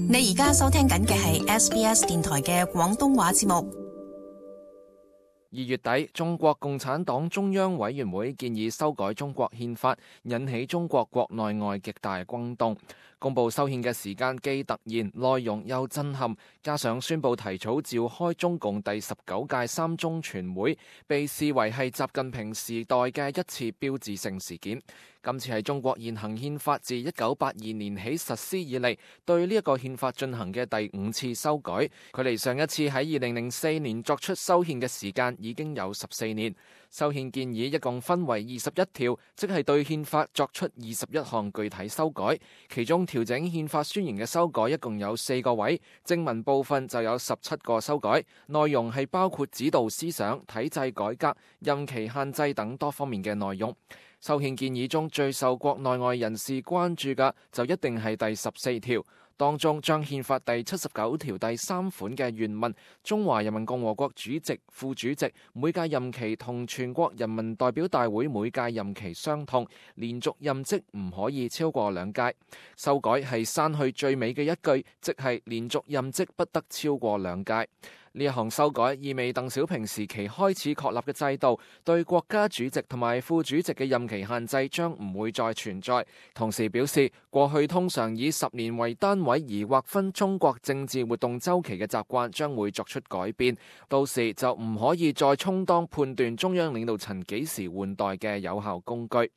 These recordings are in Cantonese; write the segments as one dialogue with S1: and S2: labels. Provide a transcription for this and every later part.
S1: 你而家收聽緊嘅係 SBS 電台嘅廣東話節目。
S2: 2月底，中國共產黨中央委員會建議修改中國憲法，引起中國國內外極大轟動。公布修憲嘅時間既突然，內容又震撼，加上宣布提早召開中共第19屆三中全會，被視為係習近平時代嘅一次標誌性事件。今次係中國現行憲法自1982年起實施以嚟，對呢一個憲法進行嘅第5次修改，距離上一次喺2004年作出修憲嘅時間已經有14年。修憲建議一共分為21條，即係對憲法作出21項具體修改，其中調整憲法宣言嘅修改一共有4個位，正文部分就有17個修改，內容係包括指導思想、體制改革、任期限制等多方面嘅內容。修憲建議中最受國內外人士關注嘅就一定係第14條，當中將憲法第79條第3款嘅原文，中華人民共和國主席、副主席每屆任期同全國人民代表大會每屆任期相同，連續任職唔可以超過2屆。修改係刪去最尾嘅一句，即係連續任職不得超過2屆。呢一項修改意味鄧小平時期開始確立嘅制度，對國家主席同埋副主席嘅任期限制將唔會再存在。同時表示，過去通常以10年為單位而劃分中國政治活動週期嘅習慣將會作出改變，到時就唔可以再充當判斷中央領導層幾時換代嘅有效工具。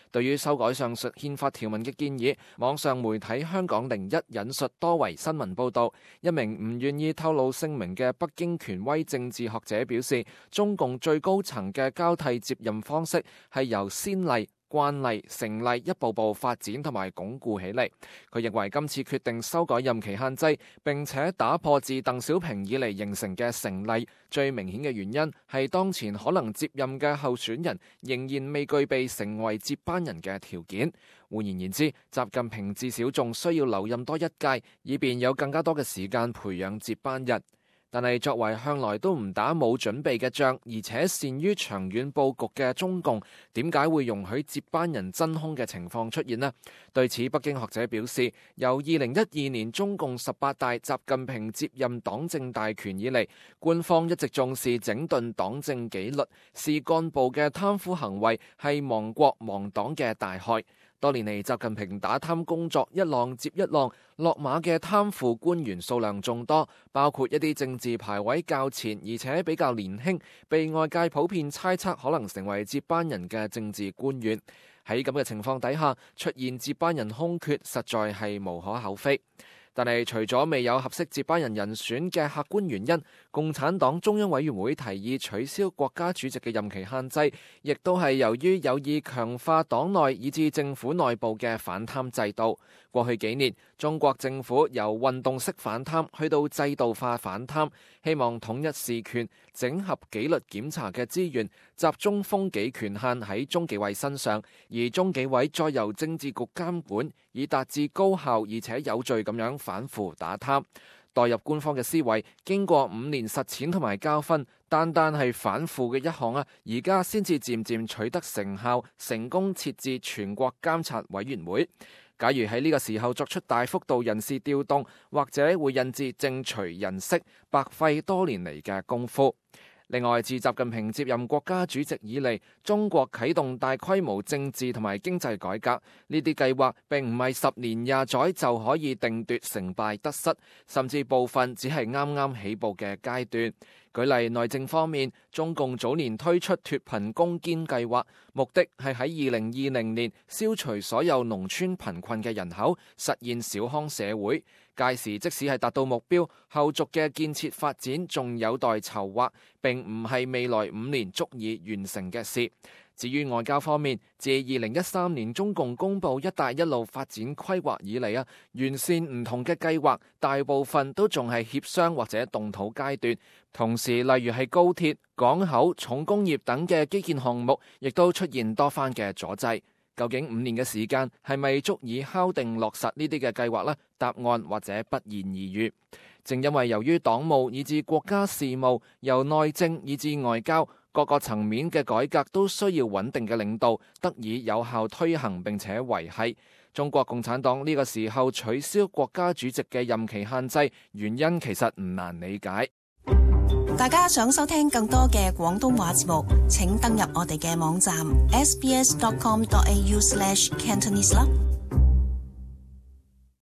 S2: 對於修改上述憲法條文嘅建議，網上媒體香港01引述多維新聞報導，一名唔願意透露姓名嘅北京權威政治學者表示，中共最高層嘅交替接任方式係由先例、慣例、成例一步步發展同埋鞏固起嚟。佢認為今次決定修改任期限制，並且打破自鄧小平以嚟形成嘅成例，最明顯嘅原因係當前可能接任嘅候選人仍然未具備成為接班人嘅條件。換言之，習近平至少仲需要留任多1屆，以便有更加多嘅時間培養接班人。但係作為向來都唔打冇準備嘅仗，而且善於長遠佈局嘅中共，點解會容許接班人真空嘅情況出現呢？對此，北京學者表示，由2012年中共18大習近平接任黨政大權以嚟，官方一直重視整頓黨政紀律，視幹部嘅貪腐行為係亡國亡黨嘅大害。多年嚟，習近平打貪工作一浪接一浪，落馬嘅貪腐官員數量眾多，包括一啲政治排位較前而且比較年輕，被外界普遍猜測可能成為接班人嘅政治官員。喺咁嘅情況底下，出現接班人空缺，實在係無可厚非。但係除咗未有合適接班人人選嘅客觀原因，共產黨中央委員會提議取消國家主席嘅任期限制，亦都係由於有意強化黨內以至政府內部嘅反貪制度。過去幾年，中國政府由運動式反貪去到制度化反貪，希望統一事權，整合紀律檢查嘅資源，集中風紀權限喺中紀委身上，而中紀委再由政治局監管，以達至高效而且有序咁樣反腐打貪。代入官方嘅思維，經過5年實踐同埋教訓，單係反腐嘅一項而家先至漸漸取得成效，成功設置全國監察委員會。假如喺呢個時候作出大幅度人事調動，或者會引致政除人息，白費多年嚟嘅功夫。另外，自習近平接任國家主席以嚟，中國啟動大規模政治同埋經濟改革，呢啲計劃並唔係10年20載就可以定奪成敗得失，甚至部分只係啱啱起步嘅階段。舉例內政方面，中共早年推出脫貧攻堅計劃，目的係喺2020年消除所有農村貧困嘅人口，實現小康社會。屆時即使係達到目標，後續嘅建設發展仲有待籌劃，並唔係未來5年足以完成嘅事。至於外交方面，自2013年中共公布一帶一路發展規劃以嚟完善唔同嘅計劃，大部分都仲係協商或者動土階段。同時，例如係高鐵、港口、重工業等嘅基建項目，亦都出現多番嘅阻滯。究竟5年嘅時間係咪足以敲定落實呢啲嘅計劃呢？答案或者不言而喻。正因為由於黨務以至國家事務，由內政以至外交，各個層面嘅改革都需要穩定嘅領導，得以有效推行並且維繫。中國共產黨呢個時候取消國家主席嘅任期限制，原因其實唔難理解。
S1: 大家想收聽更多嘅廣東話節目，請登入我哋嘅網站 sbs.com.au/cantonese 啦。